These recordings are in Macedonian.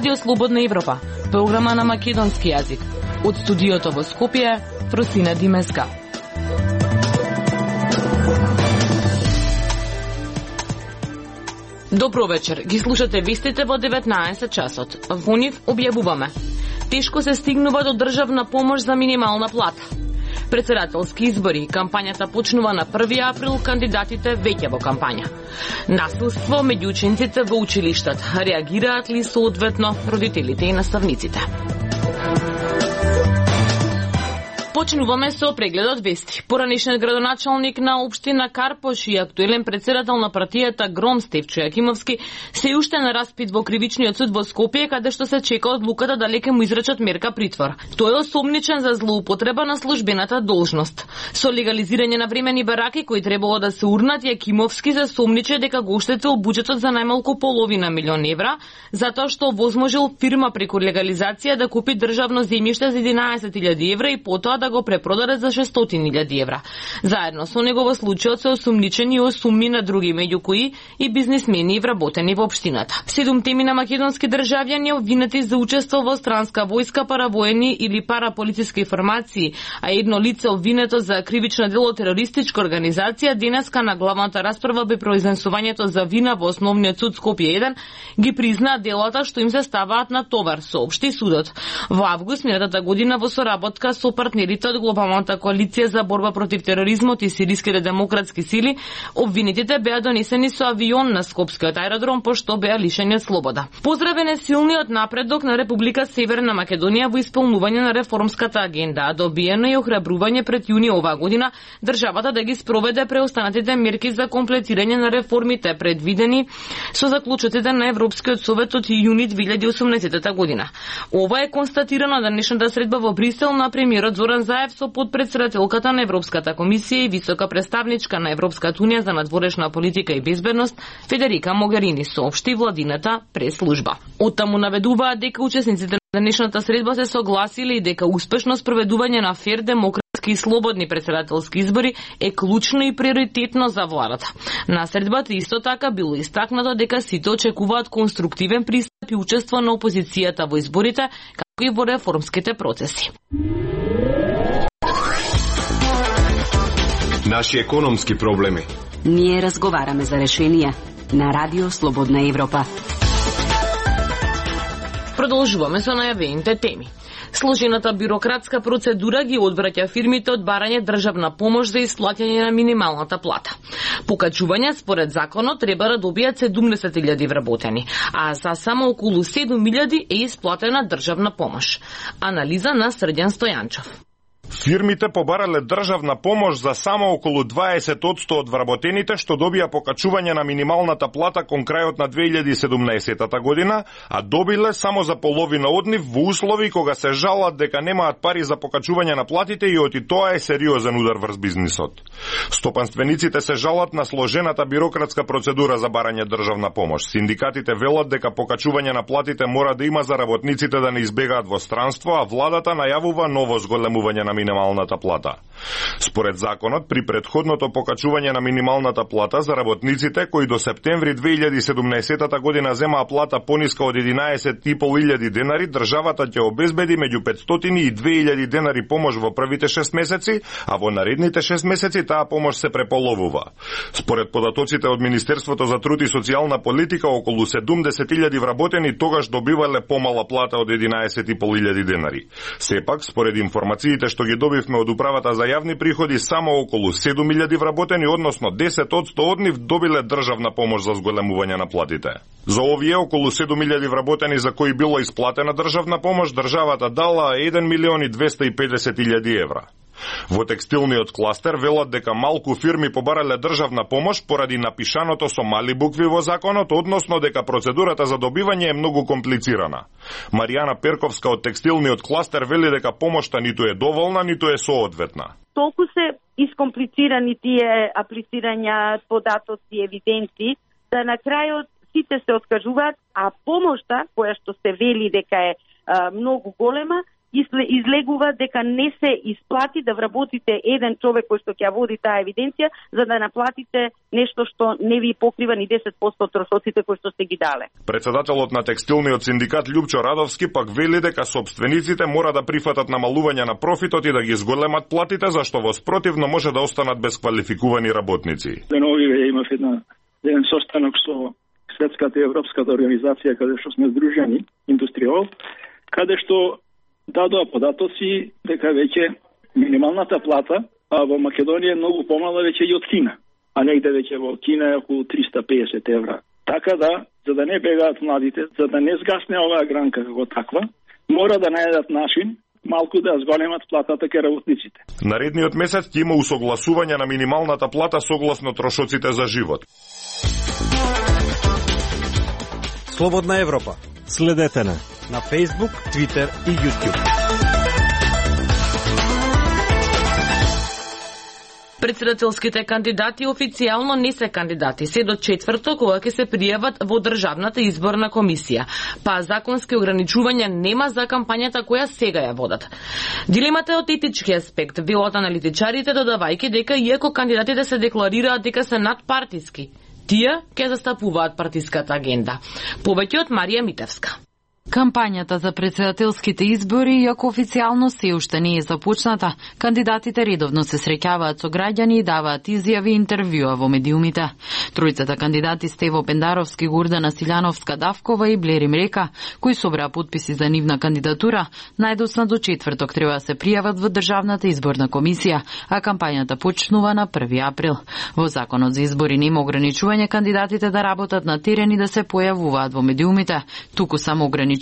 Радио Слободна Европа, програма на македонски јазик. Од студиото во Скопје, Просина Димеска. Добро вечер, ги слушате вестите во 19 часот. Во нив објавуваме: тешко се стигнува до државна помош за минимална плата. Председателски избори, кампањата почнува на 1 април, кандидатите веќе во кампања. Насилство меѓу учениците во училиштата, реагираат ли соодветно родителите и наставниците? Почнуваме со прегледот вести. Поранешниот градоначалник на општина Карпош и актуелен председател на партијата Гром Стефчо Јакимовски се уште на распит во кривичниот суд во Скопје, каде што се чека одлуката дали ќе му изречат мерка притвор. Тој е осомничен за злоупотреба на службената должност. Со легализирање на времени бараки кои требало да се урнат, Јакимовски се сомниче дека го оштетил буџетот за најмалку половина милион евра, затоа што возможил фирма преку легализација да купи државно земјиште за 11.000 евра и потоа да го препродаде за 600.000 евра. Заедно со него во случајот се осумничени и осумни на други, меѓу кои и бизнисмени и вработени во општината. 7 теми на македонски државјани обвинети за учество во странска војска, паравоени или параполициски формации, а едно лице обвинето за кривично дело терористичка организација, денеска на главната расправа бе произнесувањето за вина во Основниот суд Скопје 1 ги признаа делата што им се ставаат на товар, соопшти судот. Во август минатата година во соработка со партнерите од Глобалната коалиција за борба против тероризмот и сириските демократски сили, обвинетите беа донесени со авион на Скопскиот аеродром, пошто беа лишени од слобода. Поздравен е силниот напредок на Република Северна Македонија во исполнување на реформската агенда, а добиено е охрабрување пред јуни оваа година државата да ги спроведе преостанатите мерки за комплетирање на реформите предвидени со заклучоците на Европскиот совет од јуни 2018 година. Ова е констатирано на денешната средба во Брисел на премиерот Зоран Заев со подпредседателката на Европската комисија и висока представничка на Европската унија за надворешна политика и безбедност Федерика Могерини, соопшти владината прес-служба. Оттаму наведуваат дека учесниците на денешната средба се согласиле и дека успешно спроведување на фер, демократски и слободни председателски избори е клучно и приоритетно за владата. На средбата исто така било истакнато дека сите очекуваат конструктивен пристап и учество на опозицијата во изборите, како и во реформските процеси. Наши економски проблеми. Ние разговараме за решенија на Радио Слободна Европа. Продолжуваме со најавените теми. Сложената бюрократска процедура ги одвраќа фирмите од барање државна помош за исплаќање на минималната плата. Покачување според законот треба да добијат 70.000 вработени, а за само околу 7.000 е исплатена државна помош. Анализа на Срđan Стојанчов. Фирмите побарале државна помош за само околу 20% од вработените што добија покачување на минималната плата кон крајот на 2017 година, а добиле само за половина од нив во услови кога се жалат дека немаат пари за покачување на платите и оти тоа е сериозен удар врз бизнисот. Стопанствениците се жалат на сложената бюрократска процедура за барање државна помош. Синдикатите велат дека покачување на платите мора да има за работниците да не избегаат во странство, а владата најавува ново зголемување на минималната плата. Според законот, при предходното покачување на минималната плата за работниците кои до септември 2017 година земаа плата пониска од 11.500 денари, државата ќе обезбеди меѓу 500 и 2000 денари помош во првите 6 месеци, а во наредните 6 месеци таа помош се преполовува. Според податоците од Министерството за труд и социјална политика, околу 70.000 вработени тогаш добивале помала плата од 11.500 денари. Сепак, според информациите што ги добивме од управата за јавни приходи, само околу 7.000 вработени, односно 10% од нив добиле државна помош за зголемување на платите. За овие околу 7.000 вработени за кои било исплатена државна помош, државата дала 1.250.000 евра. Во текстилниот кластер велат дека малку фирми побарале државна помош поради напишаното со мали букви во законот, односно дека процедурата за добивање е многу комплицирана. Маријана Перковска од текстилниот кластер вели дека помошта ниту е доволна, ниту е соодветна. Толку се искомплицирани тие аплицирања, податоци, евиденци, да на крајот сите се откажуваат, а помошта, која што се вели дека е многу голема, излегува дека не се исплати да вработите еден човек кој што ќе води таа евиденција за да наплатите нешто што не ви покрива ни 10% од трошоците кои што сте ги дале. Председателот на текстилниот синдикат Љупчо Радовски пак вели дека собствениците мора да прифатат намалување на профитот и да ги зголемат платите, зашто во спротивно може да останат без квалификувани работници. Деновиве имав еден состанок со Светската и Европската организација каде што сме здружени, Индустриол, каде што дадоа податоци дека веќе минималната плата во Македонија е многу помала веќе и од Кина, а негде веќе во Кина е околу 350 евра. Така да, за да не бегаат младите, за да не згасне оваа гранка како таква, мора да најдат начин малку да зголемат платата кај работниците. Наредниот месец ќе има усогласување на минималната плата согласно трошоците за живот. Слободна Европа. Следете на Facebook, Twitter и YouTube. Председателските кандидати официјално не се кандидати, се до четврток кога ќе се пријават во Државната изборна комисија, па законски ограничувања нема за кампањата која сега ја водат. Дилемата е од етички аспект, велат аналитичарите, додавајќи дека иако кандидатите се декларираат дека се надпартиски, тие ќе застапуваат партиската агенда. Повеќе од Марија Митевска. Кампањата за председателските избори, иако официјално се уште не е започната, кандидатите редовно се среќаваат со граѓани и даваат изјави и интервјуа во медиумите. Тројцата кандидати Стево Пендаровски, Гурдана Силјановска-Давкова и Блери Мрека, кои собраа потписи за нивна кандидатура, најдоцна до четврток треба да се пријават во Државната изборна комисија, а кампањата почнува на 1 април. Во Законот за избори нема ограничување кандидатите да работат на терен и да се појавуваат во медиумите, туку само ограничување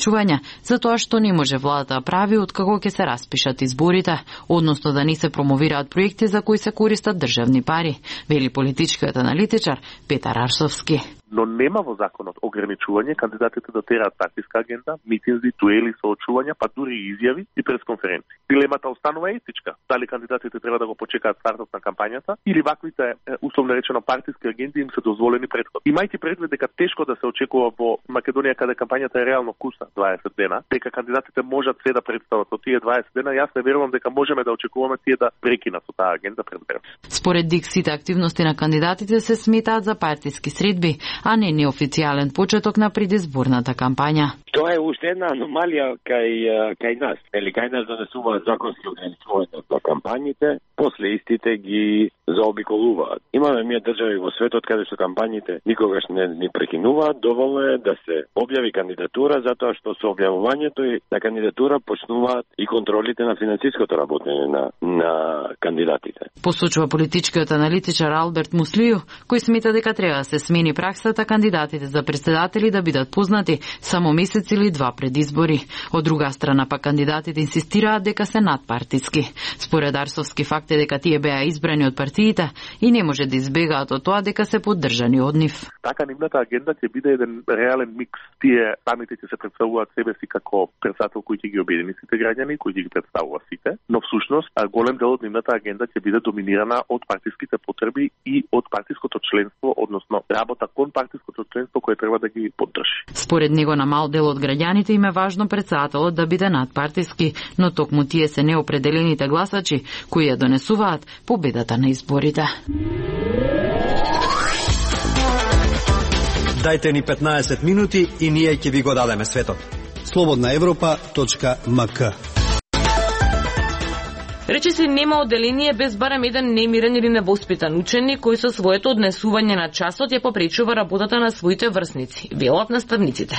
за тоа што не може владата да прави откако ќе се распишат изборите, односно да не се промовираат проекти за кои се користат државни пари, вели политичкиот аналитичар Петар Арсовски. Но нема во законот ограничување кандидатите да тераат партиска агенда, митинзи, дуели, соочувања, па дури и изјави и пресконференции. Дилемата останува етичка. Дали кандидатите треба да го почекаат стартот на кампањата или ваквите условно речено партиски агенди им се дозволени претходно. Имајќи предвид дека тешко да се очекува во Македонија каде кампањата е реално вкусна 20 дена, дека кандидатите можат се да представат во тие 20 дена, јас не верувам дека можеме да очекуваме тие да прекинат со таа агенда пред време. Според ДИК сите активности на кандидатите се сметаат за партиски средби, а не неофицијален почеток на предизборната кампања. Тоа е уште една аномалија кај нас. Кај нас донесуваат законски ограничувања на кампањите, после истите ги заобиколуваат. Имаме ние држави во светот каде што кампањите никогаш не ни прекинуваат, доволно е да се објави кандидатура, затоа што со објавувањето на кандидатура почнуваат и контролите на финансиското работење на кандидатите. Посочува политичкиот аналитичар Алберт Муслију, кој смета дека треба да се смени праксата кандидатите за председатели да бидат познати само месец или два пред избори. Од друга страна па кандидатите инсистираат дека се надпартиски. Според Арсовски факт е дека тие беа избрани од партиите и не може да избегаат од тоа дека се поддржани од нив. Така нивната агенда ќе биде еден реален микс. Тие самите ќе се представуваат себе си како председател кој ќе ги обедини сите граѓани, кој ќе ги представува сите, но всушност голем дел од нивната агенда ќе биде доминирана од партиските потреби и од партиското членство, односно работа кон партиското членство кое треба да ги поддржи. Според него на мал дел од граѓаните им е важно председателот да биде надпартиски, но токму тие се неопределените гласачи кои ја донесуваат победата на изборите. Дајте ни 15 минути и ние ќе ви го дадеме светот. slobodnaevropa.mk. Рече се нема одделение без барем еден немирен или невоспитан ученик кој со своето однесување на часот ја попречува работата на своите врсници, велат наставниците.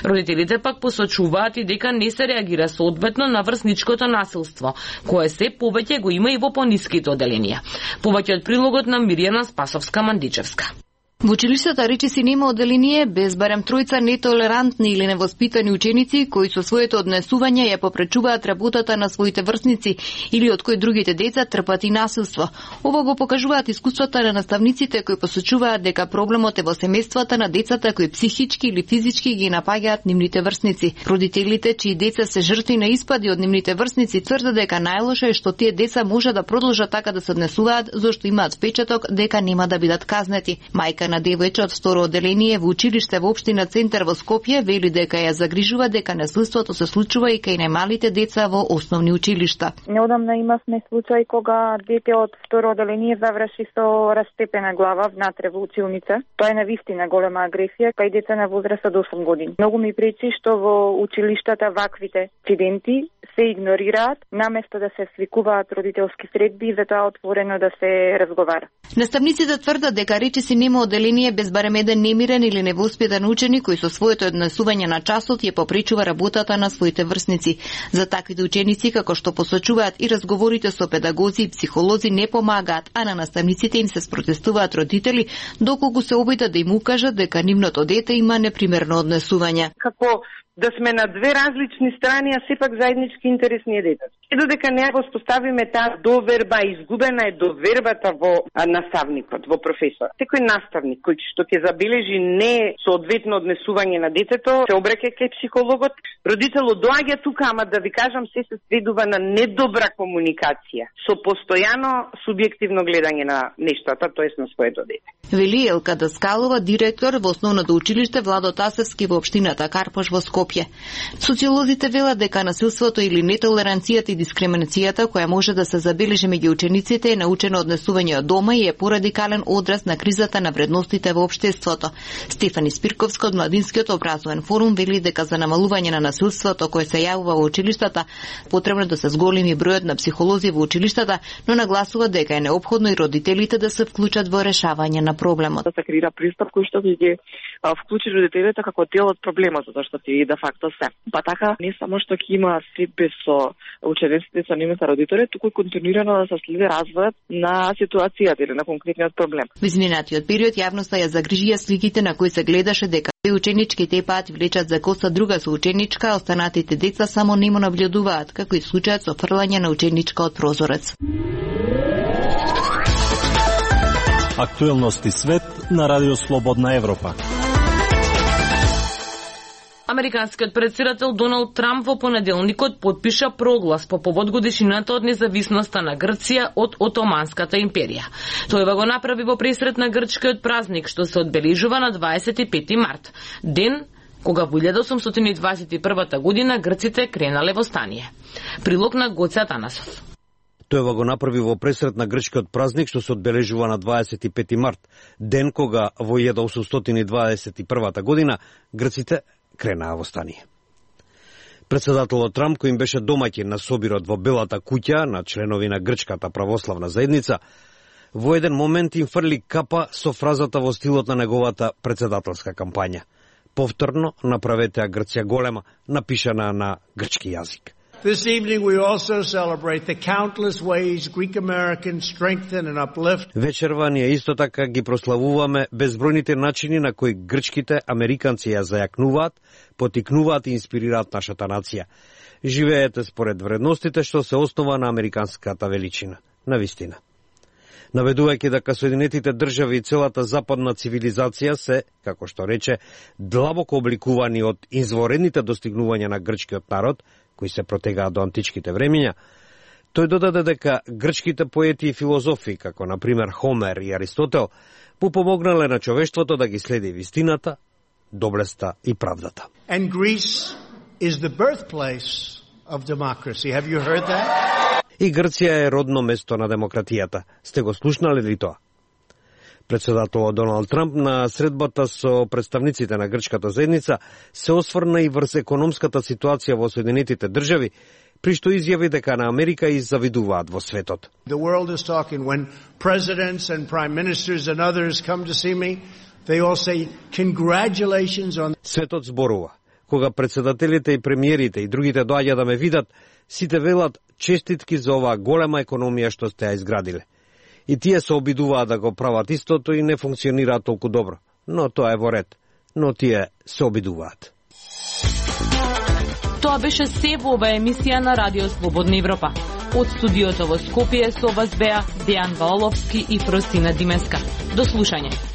Родителите пак посочуваат и дека не се реагира соодветно на врсничкото насилство, кое се повеќе го има и во пониските одделенија. Повеќе од прилогот на Миријана Спасовска-Мандичевска. Во училиштата речиси нема одделение без барем тројца нетолерантни или невоспитани ученици кои со своето однесување ја попречуваат работата на своите врсници или од кои другите деца трпат и насилство. Ова го покажуваат искуствата на наставниците кои посочуваат дека проблемот е во семејствата на децата кои психички или физички ги напаѓаат нивните врсници. Родителите чии деца се жртви на испади од нивните врсници тврдат дека најлошо е што тие деца може да продолжат така да се однесуваат зашто имаат впечаток дека нема да бидат казнети. Мајка на девојче од второ одделение во училиште во општина Центар во Скопје вели дека ја загрижува дека насилството се случува и кај најмалите деца во основни училишта. Неодамна имавме случај кога дете од второ одделение заврши со растепена глава внатре во училница. Тоа е навистина голема агресија кај деца на возраст од 8 години. Многу ми пречи што во училиштата ваквите инциденти се игнорираат, наместо да се свикуваат родителски средби и затоа отворено да се разговара. Наставниците тврдат дека речиси нема одделение без барем еден немирен или невоспитан ученик кој со своето однесување на часот ја попречува работата на своите врсници. За таквите ученици, како што посочуваат и разговорите со педагози и психолози, не помагаат, а на наставниците им се спротестуваат родители доколку се обидат да им укажат дека нивното дете има непримерно однесување. Како да сме на две различни страни, а сепак заеднички интерес ни е детето. И додека не го споставиме таа доверба, изгубена е довербата во наставникот, во професор. Секој наставник кој што ќе забележи не соодветно однесување на детето, се обраќа кај психологот. Родителот доаѓа тука, ама да ви кажам, се сведува на недобра комуникација, со постојано субјективно гледање на нештата, тоест на своето дете. Вели Елка Даскалова, директор во основното училиште Владо Тасевски во општината Карпош во Скопје. Социолозите велат дека насилството или нетолеранцијата и дискриминацијата која може да се забележи меѓу учениците е научено однесување од дома и е порадикален одраз на кризата на вредностите во општеството. Стефани Спирковска од Младинскиот образовен форум вели дека за намалување на насилството кое се јавува во училиштата потребно да се зголеми бројот на психолози во училиштата, но нагласува дека е неопходно и родителите да се вклучат во решавање на проблемот. Да се креира пристап кој што ќе ги вклучи родителите како дел од проблемот, затоа што ти де факто се. Па така не само што ќе има средби со учениците, со нивните родители, туку и континуирано да се следи развојот на ситуацијата или на конкретниот проблем. Во изминатиот период јавноста ја загрижија сликите на кои се гледаше дека ученички тепаат влечат за коса друга соученичка, а останатите деца само нему наблюдуваат, како и случајот со фрлање на ученичка од прозорец. Актуелности свет на Радио Слободна Европа. Американскиот председател Доналд Трамп во понеделникот потпиша проглас по повод годишнината од независноста на Грција од Отоманската империја. Тој го направи во пресрет на грчкиот празник што се одбележува на 25 март, ден кога во 1821 година грците кренале во стание. Прилог на Гоце Атанасов. Тој го направи во пресрет на грчкиот празник што се одбележува на 25 март, ден кога во 1821 година грците кренаа во стание. Председателот Трамп, кој им беше домаќин на собирот во Белата куќа на членови на Грчката православна заедница, во еден момент им фрли капа со фразата во стилот на неговата председателска кампања. Повторно направете ја Грција голема, напишана на грчки јазик. This evening we also celebrate the countless ways Greek Americans strengthen and uplift. Вечерва ние исто така ги прославуваме безбројните начини на кои грчките американци ја зајакнуваат, потикнуваат и инспирираат нашата нација. Живеете според вредностите што се основа на американската величина. Навистина. Наведувајќи дека Соединетите држави и целата западна цивилизација се, како што рече, длабоко обликувани од изворедните достигнувања на грчкиот народ, кои се протегаат до античките времиња, тој додаде дека грчките поети и филозофи, како на пример Хомер и Аристотел, му помогнале на човештвото да ги следи вистината, доблеста и правдата. And Greece is the birthplace of democracy. Have you heard that? И Грција е родно место на демократијата. Сте го слушнале ли тоа? Председателот Доналд Трамп на средбата со представниците на грчката заедница се осврна и врз економската ситуација во Соединетите држави, при што изјави дека на Америка и завидуваат во светот. The world is talking when presidents and prime ministers and others come to see me, they all say congratulations on. Светот зборува. Кога председателите и премиерите и другите доаѓа да ме видат, сите велат честитки за оваа голема економија што сте ја изградиле. И тие се обидуваат да го прават истото и не функционираат толку добро. Но тоа е во ред. Но тие се обидуваат. Тоа беше се во оваа емисија на Радио Слободна Европа. Од студиото во Скопје со вас беа Дејан Валовски и Фросина Димеска. До слушање.